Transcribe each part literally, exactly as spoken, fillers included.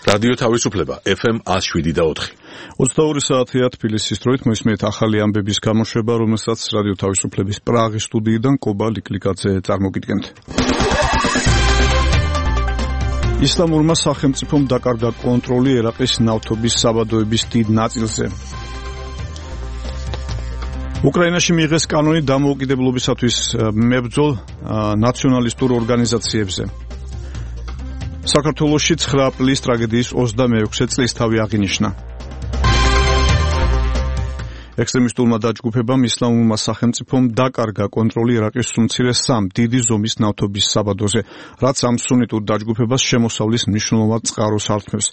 რადიო თავისუფლება ეფ ემ one oh seven და four. ოცდაორი საათია თბილისის დროით მოისმენთ ახალი ამბების გამოშვება, რომელსაც რადიო თავისუფლების პრაღის სტუდიიდან კობა ლიკლიკაძე წარმოგიდგენთ. ისლამურმა სახელმწიფომ დაკარგა კონტროლი ერაყის ნავთობის საბადოების დიდ ნაწილზე. უკრაინაში მიიღეს კანონი დამოუკიდებლობისათვის მებრძოლ ნაციონალისტურ ორგანიზაციებზე. საქართველოში ცხრა აპრილის ტრაგედიის ოცდამეექვსე წლისთავი აღინიშნა. ექსტრემისტულმა დაჯგუფებამ ისლამურმა სახელმწიფომ დაკარგა კონტროლი ერაყის უმცირე სამ დიდი ზომის ნავთობის საბადოზე, რაც ამ სუნიტურ დაჯგუფებას შემოსავლის მნიშვნელოვან წყაროს ართმევს.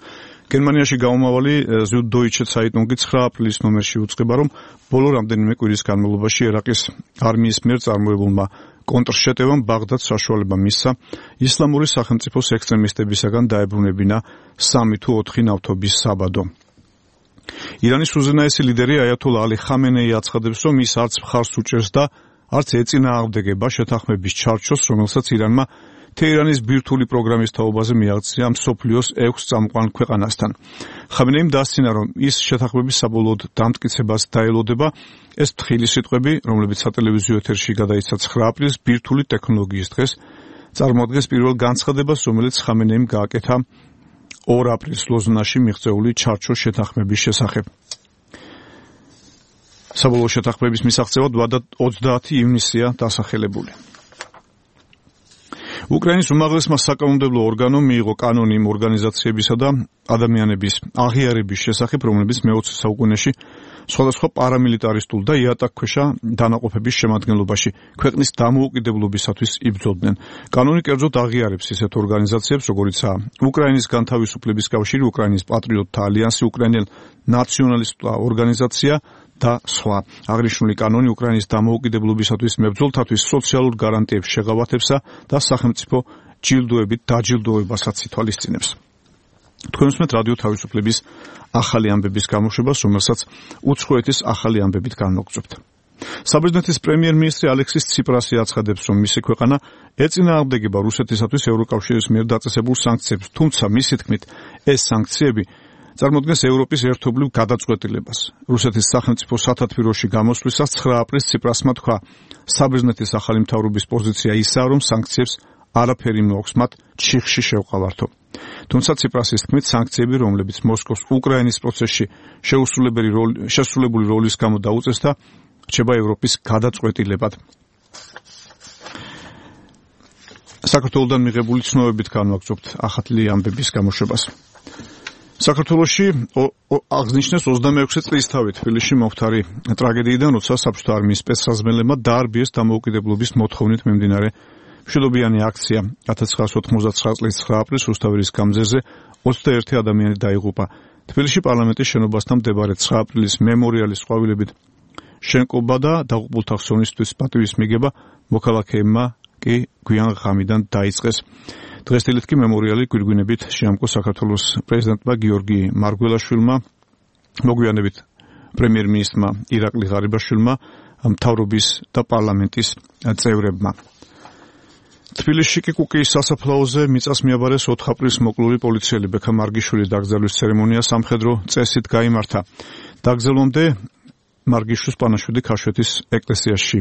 გერმანიაში გამომავალი Süddeutsche Zeitung-ი ცხრა აპრილის ნომერში უწყება, რომ ბოლო რამდენიმე კვირის განმავლობაში ერაყის არმიის მიერ წარმოებულმა კონტრშეტევამ ბაღდადს საშუალება მისცა ისლამური სახელმწიფოს ექსტრემისტებისაგან დაებრუნებინა სამი თუ ოთხი ნავთობის საბადო. ირანის უზენაესი ლიდერი აიათოლა ალი ხამენეი აცხადებს, რომ ის არც მხარს უჭერს და არც ეწინააღმდეგება შეთანხმების ჩარჩოს, რომელსაც ირანმა თეირანის ბირთვული პროგრამის თაობაზე მიაღწია მსოფლიოს ექვს წამყვან ქვეყანასთან. ხამენეიმ დასცინა, რომ ის შეთანხმების საბოლოოდ დამტკიცებას დაელოდება. ეს თხილი სიტყვები, რომლებიც სატელევიზიო ეთერში გადაიცა ცხრა აპრილს ბირთვული ტექნოლოგიის დღეს, წარმოადგენს პირველ განცხადებას, რომელიც ხამენეიმ გააკეთა ორ აპრილს ლოზნაში მიღწეული ჩარჩოს შეთანხმების შესახებ. საბოლოო შეთანხმების მისაღწევად ოცდაათი ივნისია დასახელებული. უკრაინის უმაღლესმა საკანონმდებლო ორგანომ მიიღო კანონი იმ ორგანიზაციებისა და ადამიანების აღიარების შესახებ, რომლებიც მეოცე საუკუნეში სხვადასხვა პარამილიტარისტულ და იატაკქვეშა დანაყოფების შემადგენლობაში ქვეყნის დამოუკიდებლობისათვის იბრძოდნენ. კანონი კერძოდ აღიარებს ისეთ ორგანიზაციებს, როგორიცაა უკრაინის განთავისუფლების კავშირი, უკრაინის პატრიოტთა ალიანსი, უკრაინელ ნაციონალისტთა ორგანიზაცია და სხვა. აღნიშნული კანონი უკრაინის დამოუკიდებლობისათვის მებრძოლთათვის სოციალურ გარანტიებს შეღავათებსა და სახელმწიფო ჯილდოებით დაჯილდოებასაც ითვალისწინებს. თქვენ უსმენთ რადიო თავისუფლების ახალი ამბების გამოშვებას, რომელსაც უცხოეთის ახალი ამბებით განმოგწვევთ. საბერძნეთის პრემიერ-მინისტრი ალექსის ციპრასი აცხადებს, რომ მისი ქვეყანა ეწინააღმდეგება რუსეთისათვის ევროკავშირის მიერ დაწესებულ სანქციებს, თუმცა მისი თქმით ეს სანქციები წარმოადგენს ევროპის ერთობლივ გადაწყვეტილებას. რუსეთის სახელმწიფო სათათბიროში გამოსვლისას ცხრა აპრილს ციპრასმა თქვა, საბერძნეთის ახალი მთავრობის პოზიცია ისაა, რომ სანქციებს არაფერი მოაქვს მათ ჩიხში შევყავართო. თუმცა ციპრასის თქმით, სანქციები, რომლებიც მოსკოვს უკრაინის პროცესში შეუსრულებელი როლი შესრულებული როლის გამო დაუწესდა, რჩება ევროპის გადაწყვეტილებად. საქართველოსთან მიღებული ცნობებით განვაგრძობთ ახალი ამბების გამოშვებას. საქართველოში აღნიშნეს ოცდამეექვსე წლისთავი თბილისში მომხდარი ტრაგედიიდან, როცა საბჭოთა არმიის სპეცსაზმელებმა დაარბიეს დამოუკიდებლობის მოთხოვნით მიმდინარე მშვიდობიანი აქცია. ათას ცხრაასი ოთხმოცდათცხრა წლის ცხრა აპრილს რუსთაველის გამზერზე ოცდაერთი ადამიანი დაიღუპა. თბილისში პარლამენტის შენობასთან მდებარე ცხრა აპრილის მემორიალის ყვავილებით შენკობა და დაღუპულთა ხსოვნისთვის პატივის მიგება მოქალაქეებმა კი გვიან ღამიდან დაიწყეს. დღესდღეობით კი მემორიალი გვირგვინებით შეამკო საქართველოს პრეზიდენტმა გიორგი მარგველაშვილმა, მოგვიანებით პრემიერ-მინისტრმა ირაკლი ღარიბაშვილმა, მთავრობის და პარლამენტის წევრებმა. თბილისში კი კუკიის სასაფლაოზე მიწას მიაბარეს ოთხ აპრილს მოკლული პოლიციელი ბექა მარგიშვილის დაკრძალვის ცერემონია სამხედრო წესით გაიმართა. დაკრძალვამდე მარგიშვილს პანაშვიდი ქაშვეთის ეკლესიაში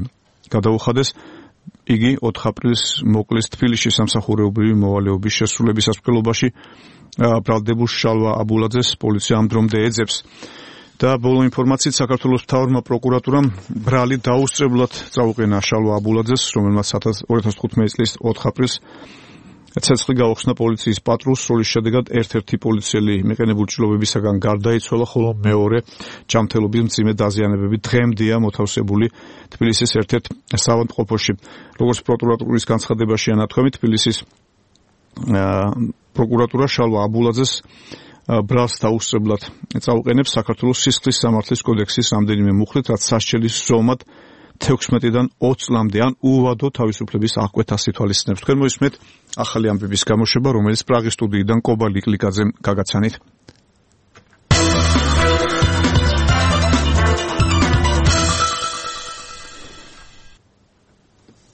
გადაუხადეს. იგი ოთხ აპრილს მოკლის თბილისში სამსახურეობრივი მოვალეობის შესრულების სასწავლობაში ბრალდებულ შალვა აბულაძეს პოლიცია ამ დრომდე ეძებს. და ბოლო ინფორმაციით საქართველოს მთავრმა პროკურატურამ ბრალი დაუსწრებლად წაუყენა შალვა აბულაძეს, რომელმაც ორი ათას თხუთმეტი წლის ოთხ აპრილს ცეცხლი გაუხსნა პოლიციის პატრულს, როლის შედეგად ერთ-ერთი პოლიციელი მიყენებულ ჭრილობებისაგან გარდაიცვალა, ხოლო მეორე ჯანმრთელობის მძიმე დაზიანებები დღემდეა მოთავსებული თბილისის ერთ-ერთ საავადმყოფოში. როგორც პროკურატურის განცხადებაში ანათქვამით, თბილისის პროკურატურა შალვა აბულაძეს ბრალს დაუსწრებლად წაუყენებს საქართველოს სისხლის სამართლის კოდექსის რამდენიმე მუხლით, რაც სასჯელის ზომად თექვსმეტიდან ოცი წლამდე ან უვადო თავისუფლების აღკვეთას ითვალისწინებს. თქვენ მოისმენთ ახალი ამბების გამოშვება, რომელიც პრაღის სტუდიიდან კობა ლიკლიკაძემ გაგაცანით.